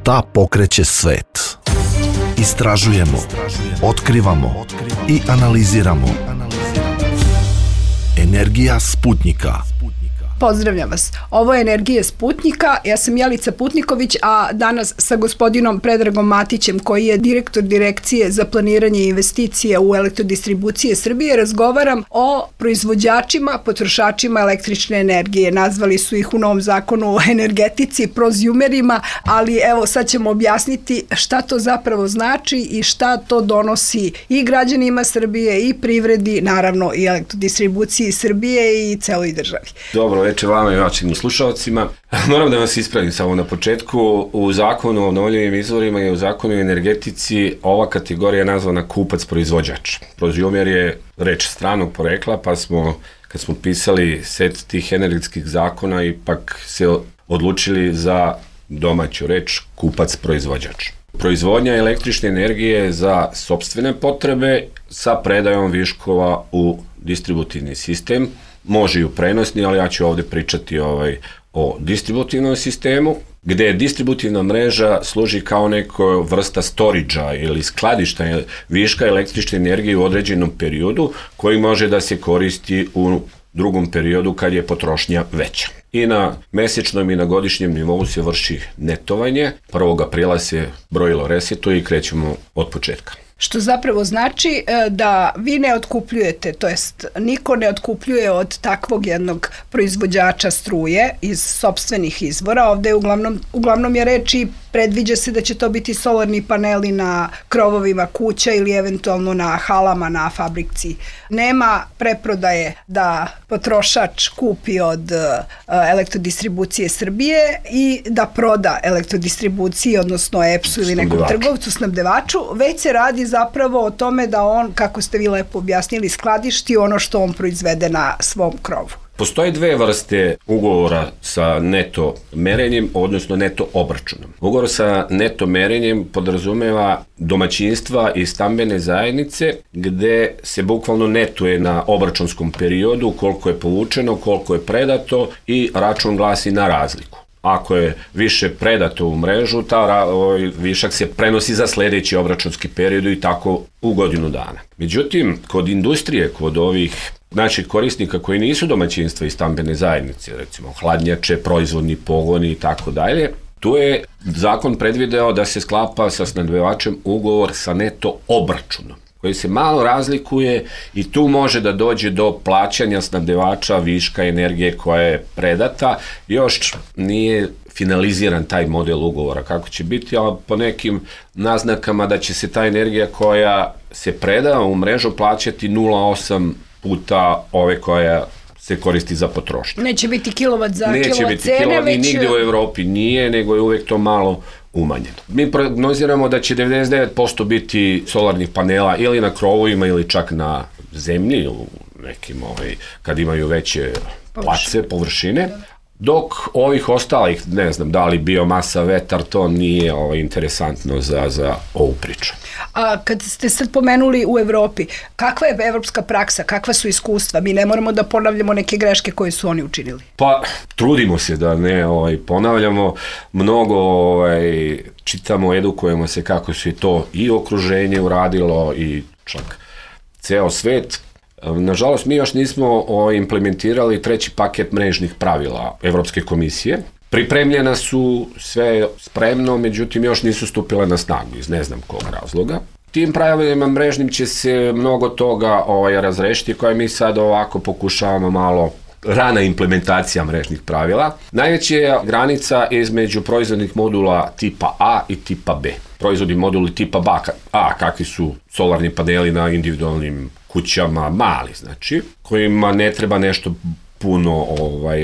Šta pokreće svet? Istražujemo, otkrivamo i analiziramo. Energija Sputnjika. Pozdravljam vas. Ovo je Energija Sputnjika. Ja sam Jelica Putniković, a danas sa gospodinom Predragom Matićem, koji je direktor Direkcije za planiranje i investicije u Elektrodistribucije Srbije, razgovaram o proizvođačima, potrošačima električne energije. Nazvali su ih u novom zakonu o energetici prozumerima, ali evo sad ćemo objasniti šta to zapravo znači i šta to donosi i građanima Srbije i privredi, naravno i Elektrodistribuciji Srbije i celoj državi. Dobro večer vama i vašim slušalcima. Moram da vas ispravim samo na početku. U zakonu o obnovljivim izvorima i u zakonu o energetici ova kategorija je nazvana kupac-proizvođač. Prozumer je reč stranog porekla, pa smo, kad smo pisali set tih energetskih zakona, ipak se odlučili za domaću reč kupac-proizvođač. Proizvodnja električne energije za sopstvene potrebe sa predajom viškova u distributivni sistem. Može i u prenosni, ali ja ću ovdje pričati o distributivnom sistemu, gdje distributivna mreža služi kao neka vrsta storage-a ili skladišta viška električne energije u određenom periodu, koji može da se koristi u drugom periodu kad je potrošnja veća. I na mesečnom i na godišnjem nivou se vrši netovanje. 1. aprila se brojilo resetuje i krećemo od početka. Što zapravo znači da vi ne otkupljujete, to jest niko ne otkupljuje od takvog jednog proizvođača struje iz sopstvenih izvora. Ovde je uglavnom je reč i predviđa se da će to biti solarni paneli na krovovima kuća ili eventualno na halama na fabrici. Nema preprodaje da potrošač kupi od Elektrodistribucije Srbije i da proda Elektrodistribuciji, odnosno EPS-u ili nekom trgovcu, snabdevaču, već se radi zapravo o tome da on, kako ste vi lepo objasnili, skladišti ono što on proizvede na svom krovu. Postoje dve vrste ugovora sa neto merenjem, odnosno neto obračunom. Ugovor sa neto merenjem podrazumeva domaćinstva i stambene zajednice, gde se bukvalno netuje na obračunskom periodu koliko je povučeno, koliko je predato i račun glasi na razliku. Ako je više predato u mrežu, višak se prenosi za sljedeći obračunski period i tako u godinu dana. Međutim, kod industrije, kod ovih naših korisnika koji nisu domaćinstva i stambene zajednice, recimo hladnjače, proizvodni pogoni i tako dalje, tu je zakon predvideo da se sklapa sa snabdevačem ugovor sa neto obračunom, koji se malo razlikuje i tu može da dođe do plaćanja snabdevača viška energije koja je predata. Još nije finaliziran taj model ugovora kako će biti, ali po nekim naznakama da će se ta energija koja se preda u mrežu plaćati 0,8 puta ove koja se koristi za potrošnju. Neće biti kilovat za kilovat cene, već... Neće biti nigde u Evropi nije, nego je uvek to malo umanjeno. Mi prognoziramo da će 99% biti solarnih panela ili na krovovima ili čak na zemlji, u nekim kad imaju veće površine, dok ovih ostalih, ne znam, da li biomasa, vetar, to nije interesantno za ovu priču. A kad ste sad pomenuli u Evropi, kakva je evropska praksa, kakva su iskustva? Mi ne moramo da ponavljamo neke greške koje su oni učinili. Pa, trudimo se da ne ponavljamo, mnogo čitamo, edukujemo se kako se to i okruženje uradilo i čak ceo svet. Nažalost, mi još nismo implementirali 3. paket mrežnih pravila Evropske komisije. Pripremljena su, sve spremno, međutim još nisu stupile na snagu iz ne znam kog razloga. Tim pravilima mrežnim će se mnogo toga razrešiti, koje mi sad ovako pokušavamo malo rana implementacija mrežnih pravila. Najveća je granica između proizvodnih modula tipa A i tipa B. Proizvodni moduli tipa A, kakvi su solarni paneli na individualnim kućama, mali znači, kojima ne treba nešto puno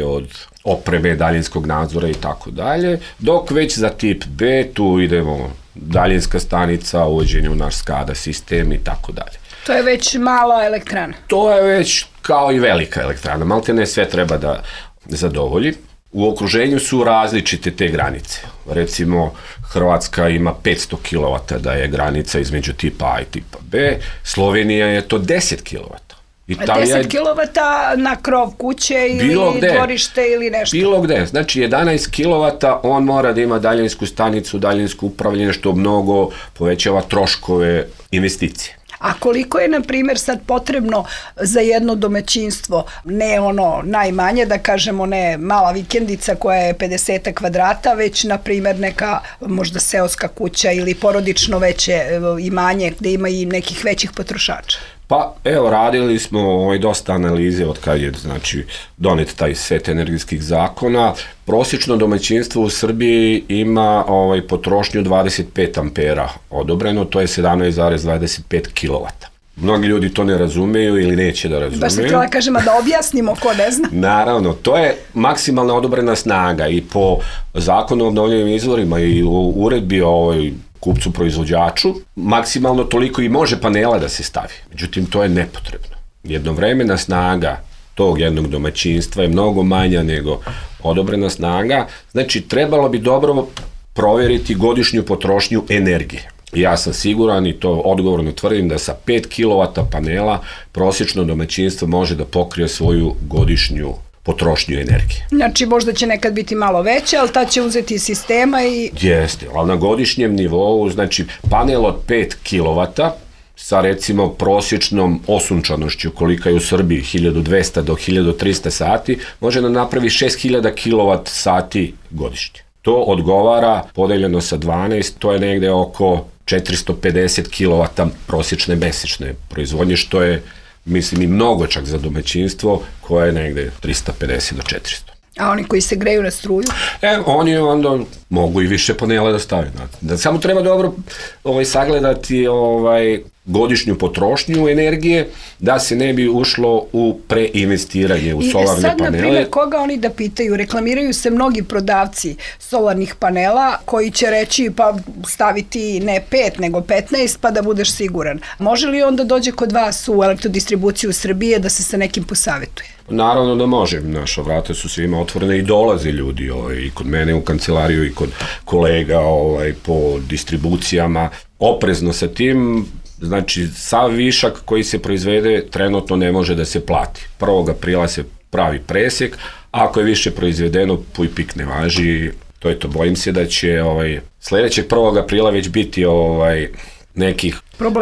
od opreme, daljinskog nadzora i tako dalje, dok već za tip B tu idemo daljinska stanica, uvođenje u naš SCADA sistem i tako dalje. To je već mala elektrana. To je već kao i velika elektrana, maltene sve treba da zadovolji. U okruženju su različite te granice. Recimo, Hrvatska ima 500 kW da je granica između tipa A i tipa B, Slovenija je to 10 kW. Italija 10 kilovata na krov kuće ili dvorište ili nešto? Bilo gde. Znači 11 kilovata on mora da ima daljinsku stanicu, daljinsko upravljanje, što mnogo povećava troškove investicije. A koliko je, na primjer, sad potrebno za jedno domaćinstvo, ne ono najmanje, da kažemo ne mala vikendica koja je 50 kvadrata, već, na primjer, neka možda seoska kuća ili porodično veće imanje gde ima i nekih većih potrošača? Pa evo, radili smo dosta analize od kad je donet taj set energijskih zakona. Prosječno domaćinstvo u Srbiji ima potrošnju 25 ampera odobreno, to je 17,25 kilovata. Mnogi ljudi to ne razumeju ili neće da razumeju. Baš sam htjela kažem, da objasnimo ko ne zna. Naravno, to je maksimalna odobrena snaga i po zakonu o obnovljivim izvorima i u uredbi kupcu proizvođaču, maksimalno toliko i može panela da se stavi. Međutim, to je nepotrebno. Jednovremena snaga tog jednog domaćinstva je mnogo manja nego odobrena snaga. Znači, trebalo bi dobro provjeriti godišnju potrošnju energije. Ja sam siguran i to odgovorno tvrdim da sa 5 kW panela prosječno domaćinstvo može da pokrije svoju godišnju potrošnju energije. Znači, možda će nekad biti malo veće, ali ta će uzeti iz sistema i... Jeste, ali na godišnjem nivou, znači, panel od 5 kW sa recimo prosječnom osunčanošću kolika je u Srbiji 1200 do 1300 sati, može da napravi 6000 kW sati godišnje. To odgovara, podeljeno sa 12, to je negde oko 450 kW prosječne mesečne proizvodnje, što je, mislim, i mnogo čak za domaćinstvo koje je negde 350 do 400. A oni koji se greju na struju? Oni onda mogu i više panela da stave. Samo treba dobro sagledati godišnju potrošnju energije, da se ne bi ušlo u preinvestiranje u solarne panele. I sad, na primjer, koga oni da pitaju? Reklamiraju se mnogi prodavci solarnih panela koji će reći pa staviti ne 5 nego 15 pa da budeš siguran. Može li onda dođe kod vas u elektrodistribuciju Srbije da se sa nekim posavetuje? Naravno da može. Naša vrata su svima otvorene i dolaze ljudi i kod mene u kancelariju i kod kolega po distribucijama. Oprezno sa tim. Znači, sav višak koji se proizvede trenutno ne može da se plati. 1. aprila se pravi presek, ako je više proizvedeno, puj pik ne važi, to je to. Bojim se da će sledećeg 1. aprila već biti nekih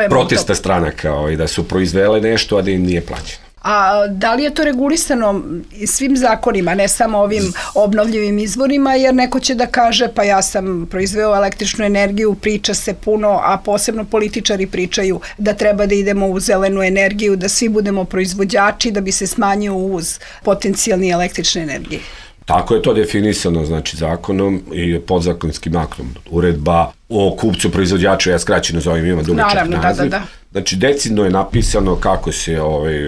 protesta stranaka, da su proizvele nešto, a da im nije plaćeno. A da li je to regulisano svim zakonima, ne samo ovim obnovljivim izvorima, jer neko će da kaže pa ja sam proizveo električnu energiju, priča se puno, a posebno političari pričaju da treba da idemo u zelenu energiju, da svi budemo proizvođači, da bi se smanjio uvoz potencijalni električne energije. Tako je to definisano, znači, zakonom i podzakonskim aktom. Uredba o kupcu proizvođaču, ja skraćeno zovem, ima dugačak naziv. Znači, decidno je napisano kako se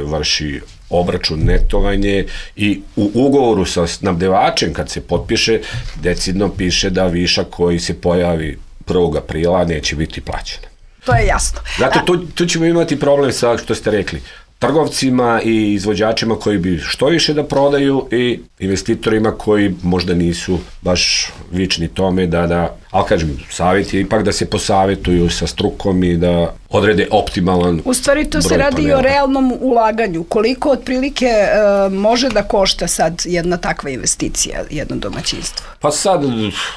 vrši obračun, netovanje i u ugovoru sa snabdevačem kad se potpiše, decidno piše da višak koji se pojavi 1. aprila neće biti plaćen. To je jasno. Zato tu ćemo imati problem sa, što ste rekli, trgovcima i izvođačima koji bi što više da prodaju i investitorima koji možda nisu baš vični tome ali kažem, savjet je ipak da se posavetuju sa strukom i da odrede optimalan broj. U stvari to se radi i o realnom ulaganju. Koliko otprilike može da košta sad jedna takva investicija, jedno domaćinstvo? Pa sad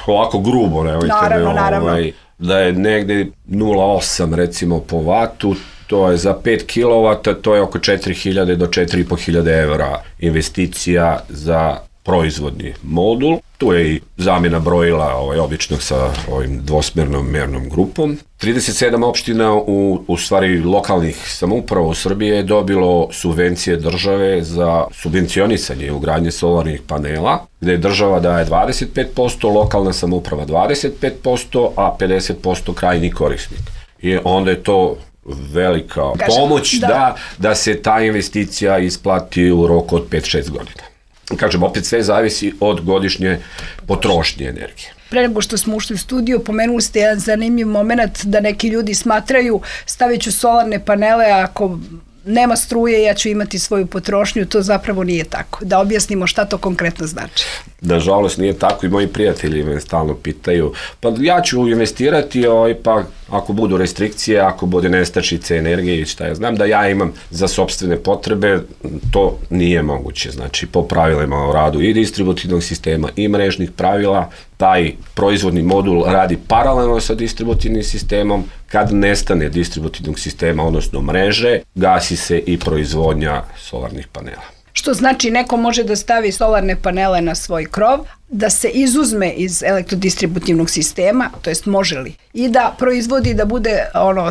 ovako grubo, naravno. Da je negde 0,8 recimo po vatu, to je za 5 kW, to je oko 4.000 do 4.500 evra investicija za proizvodni modul. Tu je i zamjena brojila običnog sa ovim dvosmernom mernom grupom. 37 opština u stvari lokalnih samouprava u Srbiji je dobilo subvencije države za subvencionisanje ugradnje solarnih panela, gde je država daje 25%, lokalna samouprava 25%, a 50% krajnji korisnik. I onda je to velika pomoć da se ta investicija isplati u roku od 5-6 godina. Kažem, opet sve zavisi od godišnje potrošnje energije. Pre nego što smo ušli u studiju, pomenuli ste jedan zanimljiv moment da neki ljudi smatraju stavit ću solarne panele ako nema struje, ja ću imati svoju potrošnju, to zapravo nije tako. Da objasnimo šta to konkretno znači. Nažalost nije tako i moji prijatelji me stalno pitaju, pa ja ću investirati, pa ako budu restrikcije, ako bude nestašice energije i šta ja znam da ja imam za sopstvene potrebe, to nije moguće. Znači, po pravilima o radu i distributivnog sistema i mrežnih pravila, taj proizvodni modul radi paralelno sa distributivnim sistemom. Kad nestane distributivnog sistema, odnosno mreže, gasi se i proizvodnja solarnih panela. Što znači neko može da stavi solarne panele na svoj krov, da se izuzme iz elektrodistributivnog sistema, to jest može li, i da proizvodi, da bude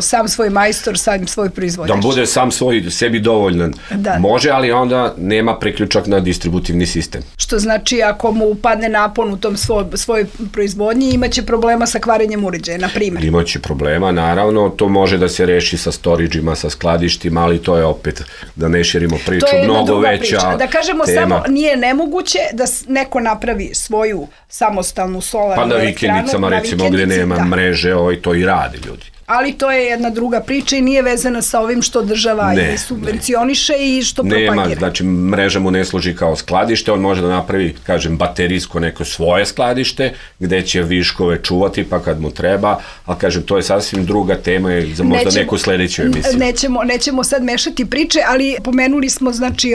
sam svoj majstor, sam svoj proizvođač. Da bude sam sebi dovoljan. Da. Može, ali onda nema priključak na distributivni sistem. Što znači ako mu upadne napon u tom svoj proizvodnji, imaće problema sa kvarenjem uređaja, na primjer. Imaće problema, naravno, to može da se reši sa storidžima, sa skladištima, ali to je opet, da ne širimo priču, mnogo veća priča. Da kažemo tema. Samo nije nemoguće da neko napravi svoju samostalnu solarnu elektranu. Pa na vikendicama, recimo, gdje nema mreže, to i radi ljudi. Ali to je jedna druga priča i nije vezana sa ovim što država i subvencioniše i što propagira. Nema, znači mreža mu ne služi kao skladište, on može da napravi, kažem, baterijsko neko svoje skladište, gde će viškove čuvati pa kad mu treba, ali kažem, to je sasvim druga tema za možda neku sledeću emisiju. Nećemo sad mešati priče, ali pomenuli smo, znači,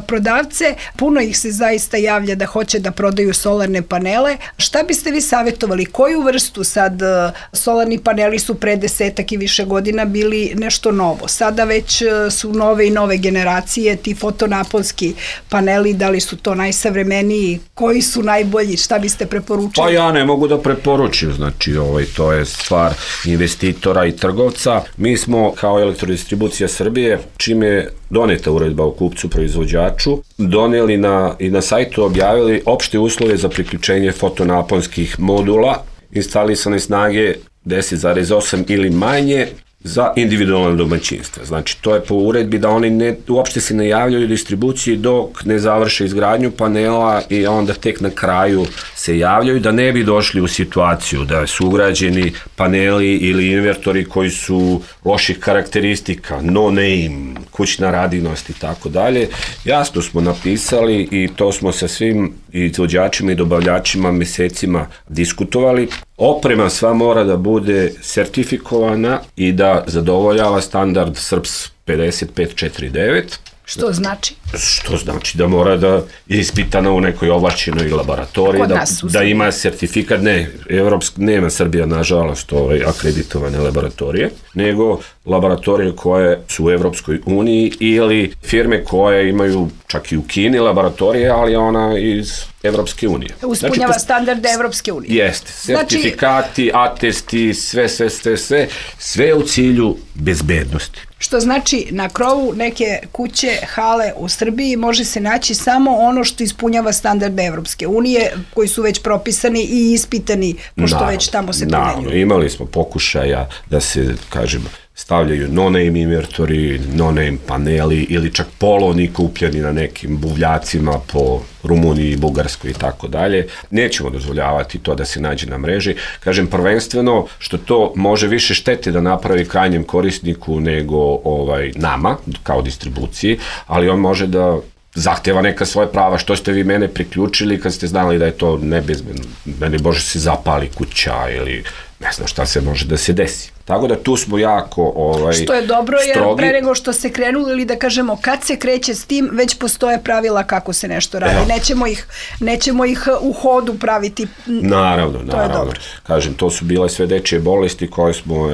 prodavce, puno ih se zaista javlja da hoće da prodaju solarne panele. Šta biste vi savjetovali? Koju vrstu sad solarni paneli su pre 10 i više godina bili nešto novo. Sada već su nove i nove generacije, ti fotonaponski paneli, da li su to najsavremeniji, koji su najbolji, šta biste preporučili? Pa ja ne mogu da preporučim, znači to je stvar investitora i trgovca. Mi smo kao Elektrodistribucija Srbije, čim je doneta uredba o kupcu proizvođaču, doneli i na sajtu objavili opšte uslove za priključenje fotonaponskih modula, instalisane snage 10,8 ili manje za individualne domaćinstva. Znači, to je po uredbi da oni uopšte se ne javljaju distribuciji dok ne završe izgradnju panela i onda tek na kraju se javljaju, da ne bi došli u situaciju da su ugrađeni paneli ili invertori koji su loših karakteristika, no name, kućna radinost i tako dalje. Jasno smo napisali i to smo sa svim izvođačima i dobavljačima mesecima diskutovali. Oprema sva mora da bude sertifikovana i da zadovoljava standard SRPS 5549. Što znači? Što znači da mora da je ispitana u nekoj ovlašćenoj laboratoriji, da ima sertifikat, nema Srbija nažalost akreditovane laboratorije, nego laboratorije koje su u Evropskoj uniji ili firme koje imaju čak i u Kini laboratorije, ali ona iz Evropske unije. Uspunjava standarde Evropske unije. Jeste, sertifikati, atesti, sve u cilju bezbednosti. Što znači na krovu neke kuće, hale u Srbiji može se naći samo ono što ispunjava standarde Evropske unije, koji su već propisani i ispitani, pošto već tamo se primenjuju. Naravno, imali smo pokušaja da se, kažem, stavljaju no-name invertori, no-name paneli ili čak polovni kupljeni na nekim buvljacima po Rumuniji, Bugarskoj i tako dalje. Nećemo dozvoljavati to da se nađe na mreži. Kažem, prvenstveno što to može više štete da napravi krajnjem korisniku nego nama, kao distribuciji, ali on može da zahteva neka svoje prava. Što ste vi mene priključili kad ste znali da je to nebezbedno? Meni može se zapali kuća ili ne znam šta se može da se desi. Tako da tu smo jako što je dobro, jer pre nego što se krenuli, ili da kažemo kad se kreće s tim, već postoje pravila kako se nešto radi. Nećemo ih u hodu praviti. Naravno. Kažem, to su bile sve dečije bolesti koje smo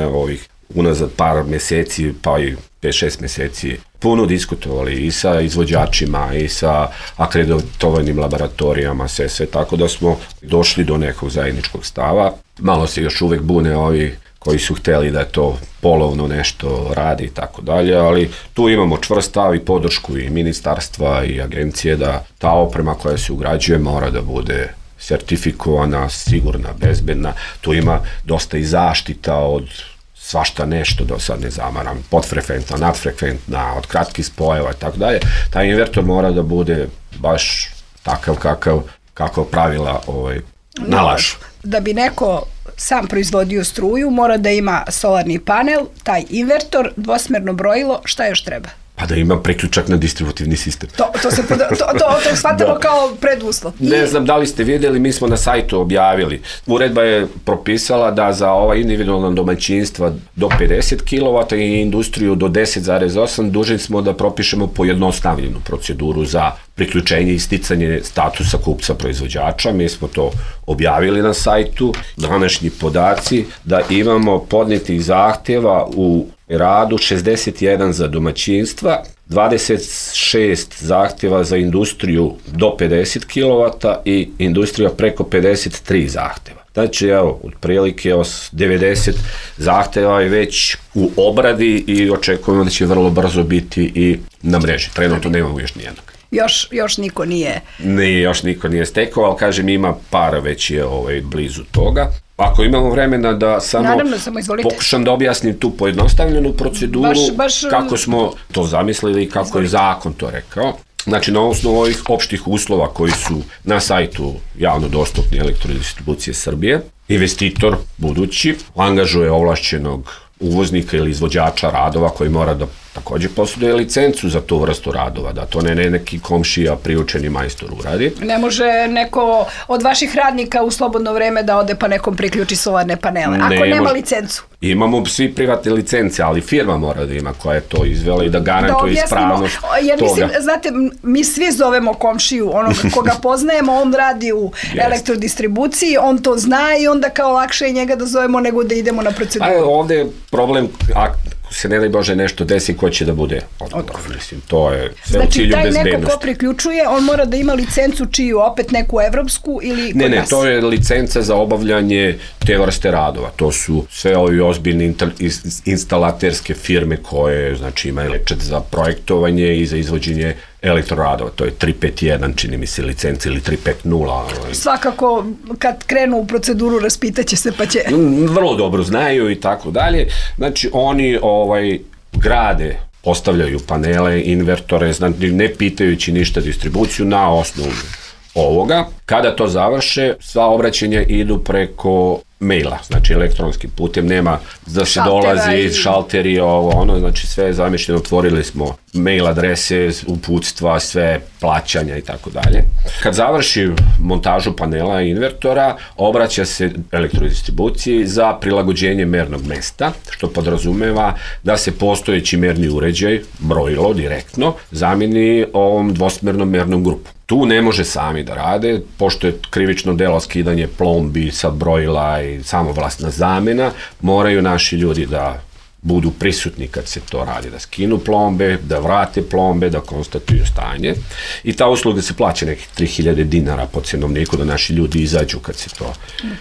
unazad par meseci, pa i 5-6 meseci puno diskutovali i sa izvođačima i sa akreditovanim laboratorijama, sve tako da smo došli do nekog zajedničkog stava. Malo se još uvek bune ovi koji su hteli da to polovno nešto radi i tako dalje, ali tu imamo čvrst stav i podršku i ministarstva i agencije da ta oprema koja se ugrađuje mora da bude sertifikovana, sigurna, bezbedna. Tu ima dosta i zaštita od svašta nešto, da sad ne zamaram, podfrekventna, nadfrekventna, od kratkih spojeva i tako dalje. Taj invertor mora da bude baš takav kako pravila nalažu. Da bi neko sam proizvodio struju, mora da ima solarni panel, taj invertor, dvosmerno brojilo, šta još treba? Pa da ima priključak na distributivni sistem. To shvatamo kao preduslov. Ne znam da li ste vidjeli, mi smo na sajtu objavili. Uredba je propisala da za ova individualna domaćinstva do 50 kW i industriju do 10,8 dužni smo da propišemo pojednostavljenu proceduru za priključenje i sticanje statusa kupca proizvođača. Mi smo to objavili na sajtu. Današnji podaci da imamo podnetih zahtjeva u radu 61 za domaćinstva, 26 zahtjeva za industriju do 50 kW i industrija preko 53 zahtjeva. Znači, evo, otprilike 90 zahtjeva je već u obradi i očekujemo da će vrlo brzo biti i na mreži. Trenutno nemamo još nijednog. Još niko nije. Još niko nije stekao, ali kažem, ima para već je blizu toga. Ako imamo vremena da samo pokušam da objasnim tu pojednostavljenu proceduru, kako smo to zamislili i kako je zakon to rekao. Znači, na osnovu ovih opštih uslova koji su na sajtu javno dostupni Elektrodistribucije Srbije, investitor budući angažuje ovlašćenog uvoznika ili izvođača radova koji mora da također posjeduje licencu za tu vrstu radova, da to ne neki komšija priučeni majstor uradi. Ne može neko od vaših radnika u slobodno vreme da ode pa nekom priključi solarne panele, ako nema licencu. Imamo svi privatne licence, ali firma mora da ima koja je to izvela i da garantuje ispravnost toga. Jer mislim, znate, mi svi zovemo komšiju, onoga koga poznajemo, on radi u elektrodistribuciji, on to zna i onda kao lakše je njega da zovemo nego da idemo na proceduru. Ovdje je problem, ako se ne daj Bože nešto desi, ko će da bude odgovoran. Mislim, to je sve u cilju bezbednosti. Znači, taj neko ko priključuje, on mora da ima licencu čiju, opet neku evropsku ili kod nas? Ne, to je licenca za obavljanje te vrste radova. To su sve ovi ozbiljne instalaterske firme koje, znači, imaju licencu za projektovanje i za izvođenje elektroradova. To je 351, čini mi se, licenca ili 350. Svakako, kad krenu u proceduru, raspitaće se pa će... Vrlo dobro znaju i tako dalje. Znači, oni grade, postavljaju panele, invertore, znači ne pitajući ništa distribuciju na osnovu ovoga. Kada to završe, sva obraćanja idu preko maila, znači elektronskim putem, nema da se dolazi šalteri, znači sve je zamišljeno, otvorili smo mail adrese, uputstva, sve plaćanja i tako dalje. Kad završi montažu panela i invertora, obraća se Elektrodistribuciji za prilagođenje mernog mesta, što podrazumeva da se postojeći merni uređaj, brojilo direktno, zameni ovom dvosmernom mernom grupu. Tu ne može sami da rade, pošto je krivično delo skidanje plombi sa brojila i samovlasna zamena, moraju naši ljudi da budu prisutni kad se to radi, da skinu plombe, da vrate plombe, da konstatuju stanje. I ta usluga se plaća nekih 3000 dinara po cenovniku da naši ljudi izađu kad se to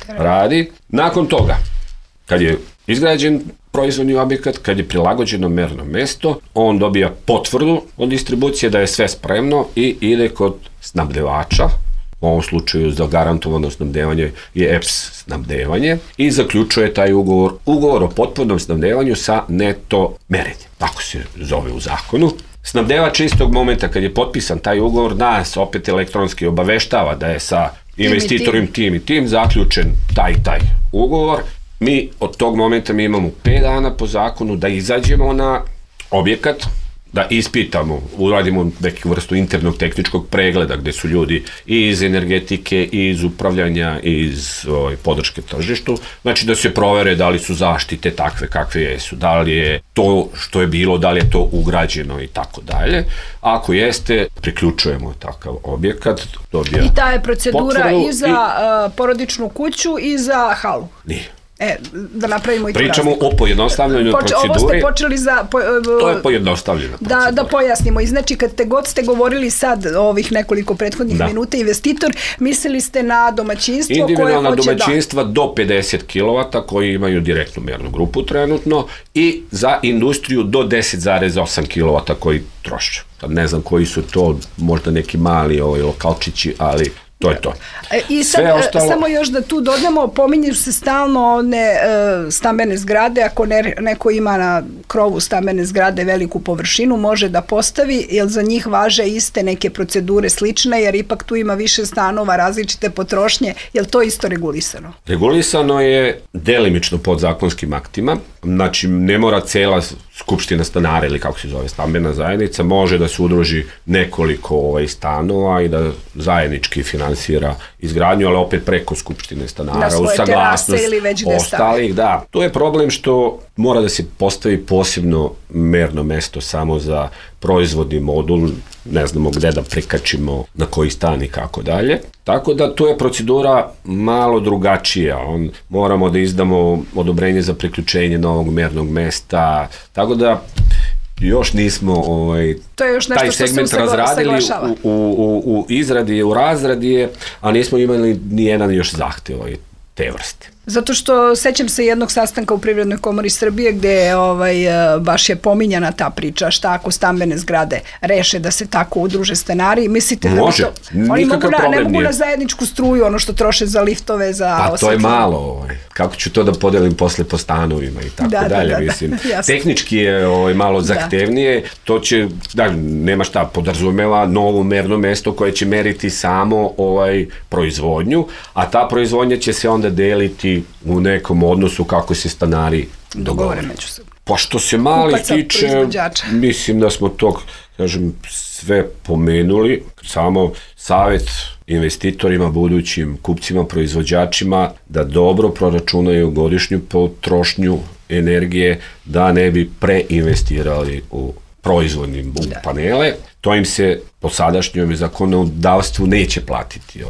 radi. Nakon toga, kad je izgrađen proizvodni objekat, kad je prilagođeno merno mesto, on dobija potvrdu od distribucije da je sve spremno i ide kod snabdevača, u ovom slučaju za garantovano snabdevanje je EPS snabdevanje, i zaključuje taj ugovor o potpunom snabdevanju sa neto merenjem. Tako se zove u zakonu. Snabdevač istog momenta kad je potpisan taj ugovor nas opet elektronski obaveštava da je sa investitorom tim i tim zaključen taj ugovor. Mi od tog momenta imamo 5 dana po zakonu da izađemo na objekat, da ispitamo, uradimo neku vrstu internog tehničkog pregleda gde su ljudi i iz energetike, i iz upravljanja, i iz podrške tržištu. Znači da se provere da li su zaštite takve kakve jesu, da li je to što je bilo, da li je to ugrađeno i tako dalje. Ako jeste, priključujemo takav objekat. I ta je procedura i za porodičnu kuću i za halu? Nije. Da napravimo i tu razliku. Pričamo o pojednostavljenoj proceduri. Ovo ste počeli za... To je pojednostavljena procedura. Da pojasnimo. I znači, kad god ste govorili sad ovih nekoliko prethodnih minuta, investitor, mislili ste na domaćinstvo koje hoće da... Individualna domaćinstva do 50 kW koji imaju direktnu mernu grupu trenutno i za industriju do 10,8 kW koji troše. Ne znam koji su to, možda neki mali lokalčići, ali... To je to. I sad, samo još da tu dodamo, pominju se stalno one stambene zgrade, ako neko ima na krovu stambene zgrade veliku površinu, može da postavi, jer za njih važe iste neke procedure slične, jer ipak tu ima više stanova, različite potrošnje, je li to isto regulisano? Regulisano je delimično podzakonskim aktima. znači ne mora cela skupština stanara ili kako se zove stambena zajednica, može da se udruži nekoliko stanova i da zajednički finansira izgradnju, ali opet preko skupštine stanara, uz saglasnost ostalih. Da, to je problem što mora da se postavi posebno merno mesto samo za proizvodni modul, ne znamo gde da prikačimo, na koji stan i kako dalje. Tako da tu je procedura malo drugačija. Moramo da izdamo odobrenje za priključenje novog mernog mesta, tako da još nismo taj segment razradili, u izradi je, u razradi je, a nismo imali ni jedan još zahtev te vrste. Zato što sećam se jednog sastanka u Privrednoj komori Srbije gde baš je pominjana ta priča, šta ako stambene zgrade reše da se tako udruže stanari. Mislite da može, nikakav problem nije. Ne mogu na zajedničku struju, ono što troše za liftove, za osvetljenje. Pa to je malo, kako ću to da podelim posle po stanovima i tako dalje, mislim. Tehnički je malo zahtevnije, to će, nema šta, podrazumeva novo merno mesto koje će meriti samo proizvodnju, a ta proizvodnja će se onda deliti u nekom odnosu kako se stanari dogovore međusobno. Pa što se mali tiče, mislim da smo to, sve pomenuli, samo savjet investitorima, budućim kupcima, proizvođačima da dobro proračunaju godišnju potrošnju energije, da ne bi preinvestirali u proizvodnim panele. To im se po sadašnjom zakonodavstvu neće platiti.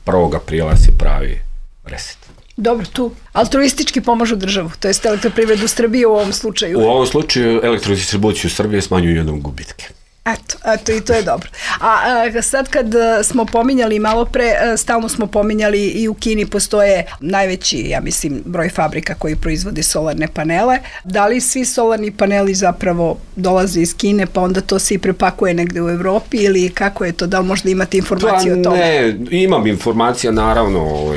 1. aprila se pravi reset. Dobro, tu altruistički pomažu državu, to je Elektroprivredu Srbije u ovom slučaju. U ovom slučaju Elektrodistribuciju Srbije smanjuju jednom gubitke. Eto, i to je dobro. A sad kad smo pominjali malo pre, stalno smo pominjali i u Kini postoje najveći, ja mislim, broj fabrika koji proizvode solarne panele. Da li svi solarni paneli zapravo dolaze iz Kine, pa onda to se i prepakuje negde u Evropi, ili kako je to, da li možda imate informacije o tome? Ne, imam informacija, naravno,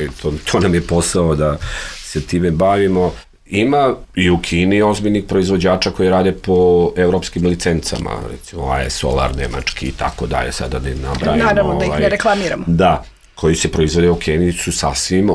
to nam je posao da se time bavimo. Ima i u Kini ozbiljnih proizvođača koji rade po evropskim licencama, recimo AE Solar, nemački i tako dalje, sada da im nabrajamo. Naravno, da ih ne reklamiramo. Da, koji se proizvode u Kini su sasvim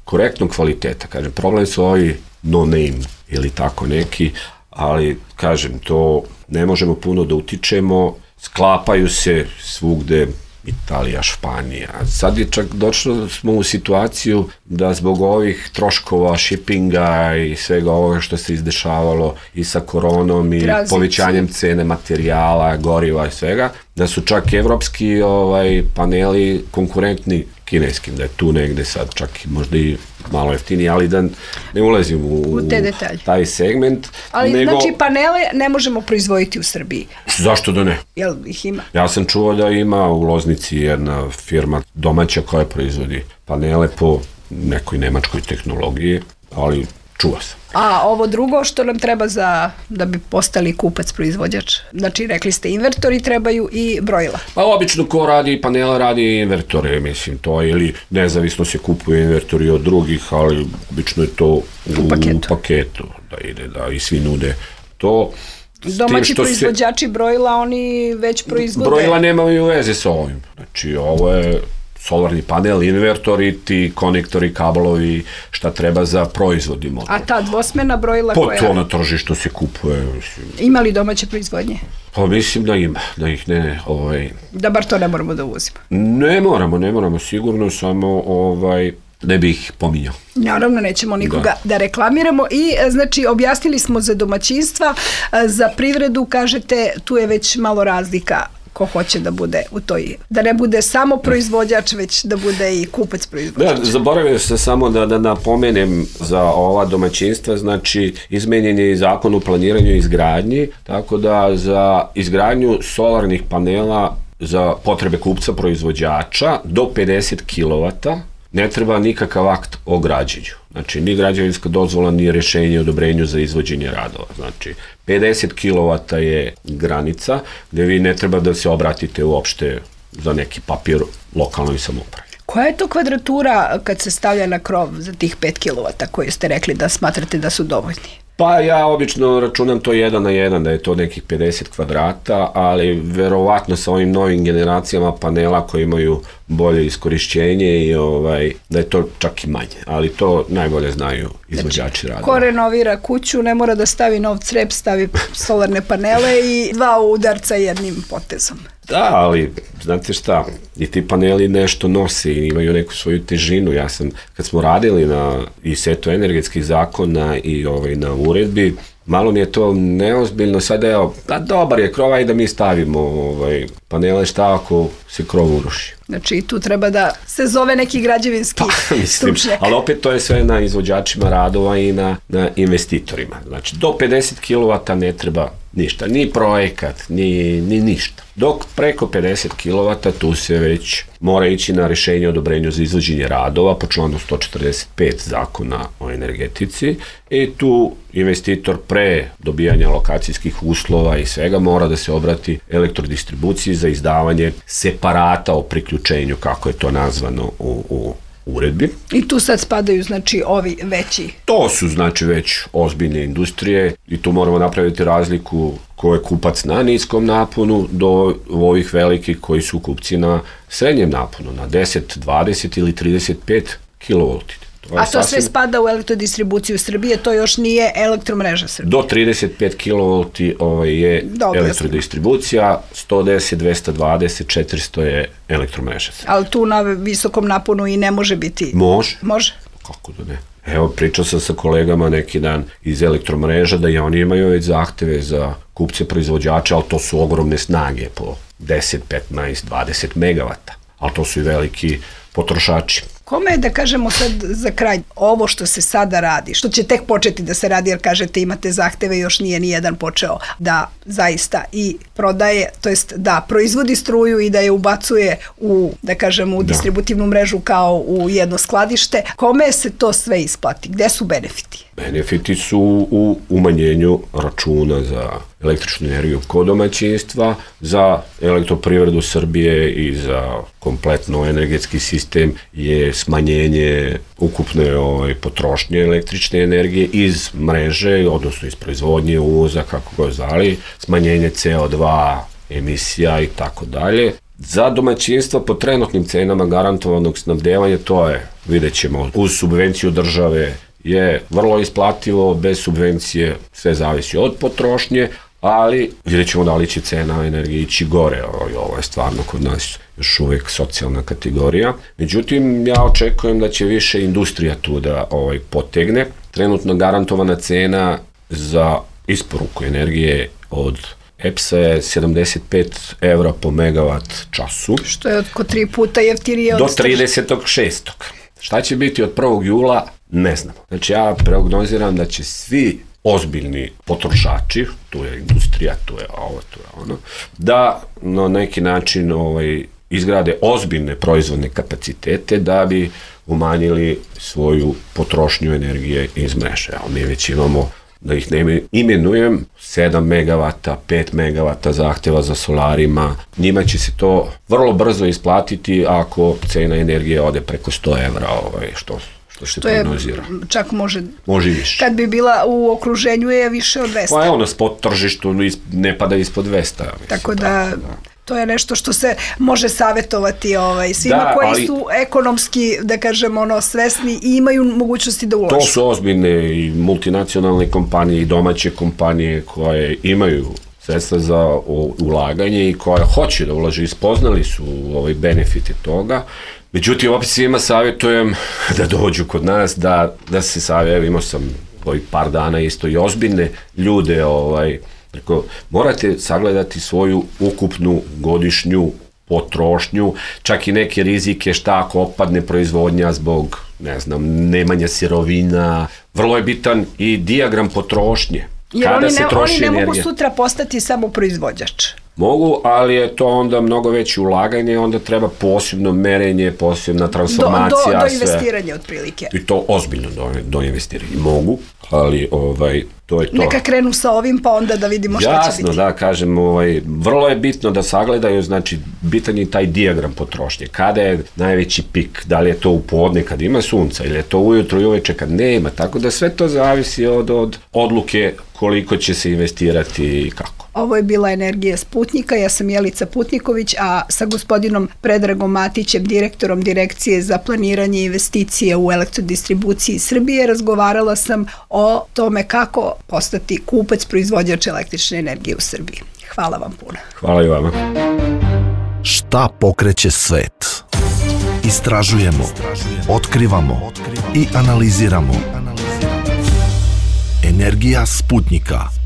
korektnog kvaliteta. Kažem, problem su ovi no name ili tako neki, ali kažem, to ne možemo puno da utičemo, sklapaju se svugde, Italija, Španija. Sad je čak došlo smo u situaciju da zbog ovih troškova, shippinga i svega ovoga što se izdešavalo i sa koronom i povećanjem cene materijala, goriva i svega, da su čak evropski paneli konkurentni kineskim, da je tu negde sad čak možda i malo jeftiniji, ali da ne ulazim u te detalje, taj segment. Ali znači panele ne možemo proizvoditi u Srbiji. Zašto da ne? Jel ih ima? Ja sam čuo da ima u Loznici jedna firma domaća koja proizvodi panele po nekoj nemačkoj tehnologiji, ali čuo sam. A ovo drugo što nam treba da bi postali kupac, proizvođač? Znači, rekli ste invertori trebaju i brojila. Pa obično ko radi panela radi invertore, mislim, to ili nezavisno se kupuje invertori od drugih, ali obično je to u paketu da ide, da i svi nude to. Domaći proizvođači brojila, oni već proizvode. Brojila nemaju veze sa ovim. Znači, ovo je solarni panel, invertori, ti konektori, kablovi, šta treba za proizvodni modul. A ta dvosmena brojila koja... To na tržištu se kupuje. Ima li domaće proizvodnje? Pa mislim da ima, da ih ne... Da bar to ne moramo da uvozimo. Ne moramo sigurno, samo ne bih ih pominjao. Naravno, nećemo nikoga da reklamiramo. I znači, objasnili smo za domaćinstva, za privredu, kažete, tu je već malo razlika ko hoće da bude u toj, da ne bude samo proizvođač, već da bude i kupac proizvođač. Da, zaboravio sam samo da napomenem za ova domaćinstva, znači izmenjen je i zakon o planiranju i izgradnji, tako da za izgradnju solarnih panela za potrebe kupca proizvođača do 50 kW ne treba nikakav akt o građenju. Znači, ni građevinska dozvola, ni rješenje o odobrenju za izvođenje radova. Znači, 50 kW je granica gde vi ne treba da se obratite uopšte za neki papir lokalnoj samoupravi. Koja je to kvadratura kad se stavlja na krov za tih 5 kW koje ste rekli da smatrate da su dovoljni? Pa ja obično računam to 1 na 1, da je to nekih 50 kvadrata, ali verovatno sa ovim novim generacijama panela koji imaju bolje iskorišćenje i da je to čak i manje, ali to najbolje znaju izvođači radova. Ko renovira kuću ne mora da stavi nov crep, stavi solarne panele i 2 udarca jednim potezom. Da, ali znate šta, i ti paneli nešto nose i imaju neku svoju težinu. Kad smo radili na i setu energetskih zakona i na uredbi, malo mi je to neozbiljno, sad dobar je krov, da mi stavimo panele, šta ako se krov uruši. Znači tu treba da se zove neki građevinski stručnjak. Ali opet to je sve na izvođačima radova i na investitorima. Znači do 50 kW ne treba ništa, ni projekat, ni ništa. Dok preko 50 kW tu se već mora ići na rješenje o odobrenju za izvođenje radova po članu 145 zakona o energetici i tu investitor pre dobijanja lokacijskih uslova i svega mora da se obrati elektrodistribuciji za izdavanje separata o priključenju, kako je to nazvano u uredbi. I tu sad spadaju znači ovi veći. To su znači već ozbiljne industrije i tu moramo napraviti razliku ko je kupac na niskom naponu do ovih velikih koji su kupci na srednjem naponu, na 10, 20 ili 35 kV. A to sve spada u elektrodistribuciju Srbije, to još nije elektromreža Srbije. Do 35 kV je elektrodistribucija, 110, 220, 400 je elektromreža Srbije. Ali tu na visokom naponu i ne može biti? Može. Može? Kako da ne? Evo, pričao sam sa kolegama neki dan iz elektromreža da i oni imaju već zahteve za kupce proizvođača, ali to su ogromne snage po 10, 15, 20 megavata, ali to su i veliki potrošači. Kome je, da kažemo sad za kraj, ovo što se sada radi, što će tek početi da se radi, jer kažete imate zahteve, još nije nijedan počeo da zaista i prodaje, to jest da proizvodi struju i da je ubacuje u, da kažemo, u distributivnu mrežu kao u jedno skladište. Kome se to sve isplati? Gde su benefiti? Benefiti su u umanjenju računa za električnu energiju kod domaćinstva, za elektroprivredu Srbije i za kompletno energetski sistem je smanjenje ukupne potrošnje električne energije iz mreže, odnosno iz proizvodnje, uvoza, kako ga zvali, smanjenje CO2, emisija i tako dalje. Za domaćinstva po trenutnim cenama garantovanog snabdevanja, to je, vidjet ćemo, uz subvenciju države je vrlo isplativo, bez subvencije sve zavisi od potrošnje, ali vidjet ćemo da li će cena energije ići gore. Ovo je stvarno kod nas još uvijek socijalna kategorija. Međutim, ja očekujem da će više industrija tu da potegne. Trenutno garantovana cena za isporuku energije od EPS-a je 75 € po megavat času. Što je oko 3 puta jeftinije od do 36. Šta će biti od 1. jula? Ne znam. Znači ja prognoziram da će svi ozbiljni potrošači, tu je industrija, tu je ovo, tu je ono, da na neki način izgrade ozbiljne proizvodne kapacitete da bi umanjili svoju potrošnju energije iz mreže. Mi već imamo, da ih ne imenujem, 7 megavata, 5 megavata zahteva za solarima. Njima će se to vrlo brzo isplatiti ako cena energije ode preko 100 €, što je čak može i više. Kad bi bila u okruženju je više od 200. Pa je spot tržištu ne pada ispod 200. Tako da to je nešto što se može savjetovati svima koji su ekonomski, da kažemo, svesni i imaju mogućnosti da ulože. To su ozbiljne i multinacionalne kompanije i domaće kompanije koje imaju sredstva za ulaganje i koje hoće da ulaže i spoznali su benefite toga. Međutim, opet svima savjetujem da dođu kod nas, da se savjetujem. Imao sam ovih par dana isto i ozbiljne ljude, morate sagledati svoju ukupnu godišnju potrošnju, čak i neke rizike, šta ako opadne proizvodnja zbog, nemanja sirovina. Vrlo je bitan i dijagram potrošnje. Jer oni ne mogu sutra postati samo proizvođač. Mogu, ali je to onda mnogo veće ulaganje, onda treba posebno merenje, posebna transformacija. Do investiranja otprilike. I to ozbiljno do investiranja. Mogu, ali To je to. Neka krenu sa ovim, pa onda da vidimo šta će biti. Jasno, da, kažem, vrlo je bitno da sagledaju, znači, bitan je taj dijagram potrošnje. Kada je najveći pik, da li je to u podne kad ima sunca, ili je to ujutro i uveče kad nema, tako da sve to zavisi od odluke koliko će se investirati i kako. Ovo je bila Energija Sputnjika, ja sam Jelica Putniković, a sa gospodinom Predragom Matićem, direktorom Direkcije za planiranje investicije u elektrodistribuciji Srbije, razgovarala sam o tome kako postati kupac, proizvođač električne energije u Srbiji. Hvala vam puno. Hvala i vama. Šta pokreće svet? Istražujemo, otkrivamo i analiziramo. Energija Sputnjika.